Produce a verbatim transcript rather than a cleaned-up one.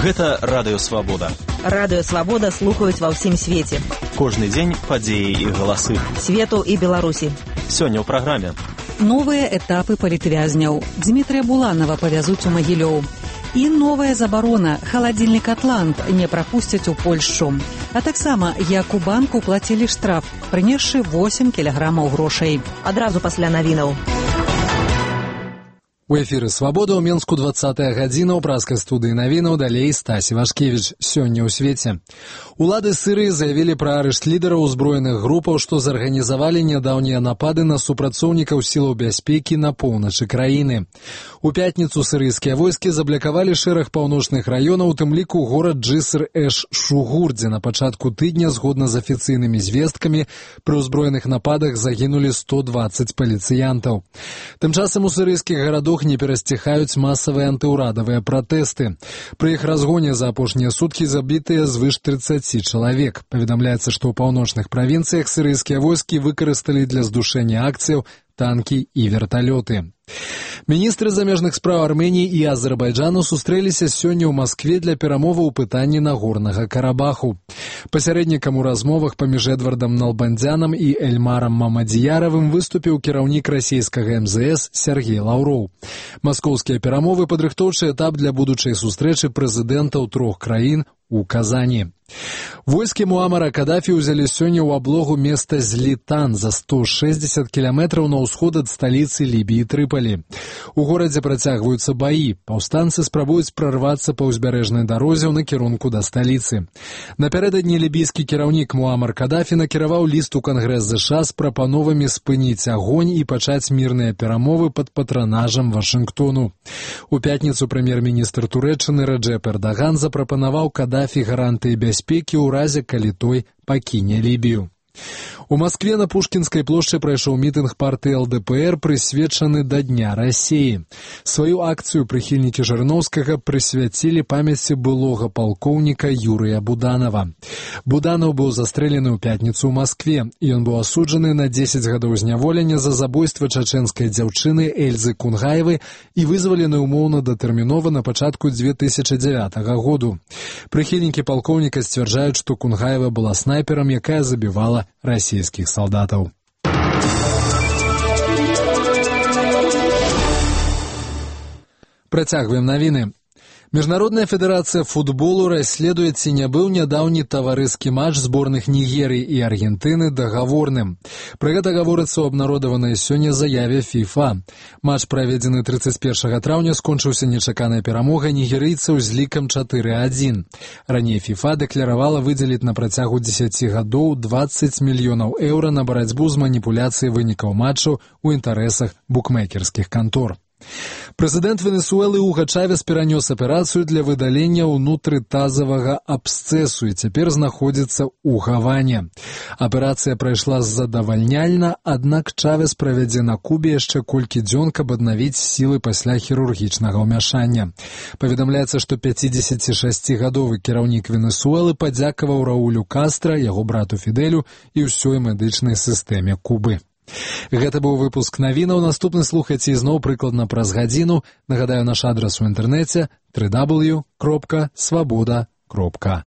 Гэта Радыё Свабода. Радыё Свабода слухаюць ва ўсім свеце. Кожны дзень падзеі і галасы. Свету і Беларусі. Сёння ў праграме. Новыя этапы палітвязняў. Дмітрия Буланова павязуць у Магілёў. І новая забарона. Халадзільнік «Атлант» не прапусцяць у Польшчу. А таксама, як у банку плацілі штраф, прынесшы восемь кілаграмаў грошай. Адразу пасля навінаў. У эфіры «Свабода» ў Менску двадцатая гадзіна, ў праскай студыі навінаў, далей Стась Івашкевіч. Сёння ў свеце. Улады Сырыі заявілі пра арышт лідараў узброеных групаў, што зарганізавалі нядаўнія напады на супрацоўнікаў сілаў бяспекі на поўначы краіны. У пятніцу сырыйскія войскі заблакавалі шэраг паўночных раёнаў, у тым ліку горад Джыср-эш-Шугур, дзе на пачатку тыдня, згодна з афіцыйнымі звесткамі, пры ўзброеных нападах загінулі сто дваццаць паліцыянтаў. Тым часам у сырыйскіх гарадах не перасціхаюць масавыя антыўрадавыя пратэсты. Пры іх разгоне за апошнія суткі забітыя звыш трыццаці чалавек. Паведамляецца, што ў паўночных правінцыях сырыйскія войскі выкарысталі для здушэння акцыяў танкі і верталёты. Міністры замежных спраў Арменіі і Азербайджану сустрэліся сёння ў Маскве для перамоваў у пытанні Нагорнага Карабаху. Пасярэднікам у размовах паміж Эдвардам Налбандзянам і Эльмарам Мамадзіяравым выступіў кіраўнік расійскага эм зэ эс Сергей Лаўроў. Маскоўскія перамовы — падрыхтоўчы этап для будучай сустрэчы прэзідэнтаў трох краін у Казані. Войскі Муамара Кадафі ўзялі сёння ў аблогу места Злітан за сто шэсцьдзесят кіламетраў на ўсход ад сталіцы Лібіі Трыпалі. У горадзе працягваюцца баі. Паўстанцы спрабуюць прарвацца па ўзбярэжнай дарозе ў накірунку да сталіцы. Напярэдадні лібійскі кіраўнік Муамар Кадафі накіраваў ліст у Кангрэс ЗША з прапановамі спыніць агонь і пачаць мірныя перамовы пад патранажам Вашынгтону. У пятніцу прэм'ер-міністр Турэччыны Рэджэп Эрдаган запрапанаваў Кадафі гарантыі бяспекі ў разе, калі той пакіне Лібію. У Маскве на Пушкінскай плошчы прайшоў мітынг партыі эл дэ пэ эр, прысвечаны да Дня Расіі. Сваю акцыю прыхільнікі Жырыноўскага прысвяцілі памяці былога палкоўніка Юрыя Буданова. Буданов быў застрэлены ў пятніцу ў Маскве, і ён быў асуджаны на дзесяць гадоў зняволення за забойства чачэнскай дзяўчыны Эльзы Кунгаевы і вызвалены ўмоўна датэрмінова на пачатку дзве тысячы дзявятага году. Прыхільнікі палкоўніка сцвярджаюць, што Кунгаева была снайперам, якая забівала расійскіх салдатаў. Працягваем навіны. Міжнародная федэрацыя футболу расследуе, ці не быў нядаўні таварыскі матч зборных Нігерыі і Аргентыны дагаворным. Пра гэта гаворыцца ў абнародаванай сёння заяве фіфа. Матч, праведзены трыццаць першага траўня, скончыўся нечаканай перамогай нігерыйцаў з лікам чатыры адзін. Раней фіфа дэкляравала выдзеліць на працягу дзесяці гадоў дваццаць мільёнаў еўра на барацьбу з маніпуляцыяй вынікаў матчаў у інтарэсах букмекерскіх кантор. Прэзідэнт Венесуэлы Уга Чавес перанёс аперацыю для выдалення ўнутрытазавага абсцэсу і цяпер знаходзіцца ў Гаване. Аперацыя прайшла задавальняльна, аднак Чавес правядзе на Кубе яшчэ колькі дзён, каб аднавіць сілы пасля хірургічнага ўмяшання. Паведамляецца, што пяцідзесяцішасцігадовы кіраўнік Венесуэлы падзякаваў Раулю Кастра, яго брату Фідэлю і ўсёй медычнай сістэме Кубы. Гэта быў выпуск навінаў. Наступны слухайце ізноў прыкладна праз гадзіну. Нагадаю, наш адрас у інтэрнэце дабл ю дабл ю дабл ю кропка свабода кропка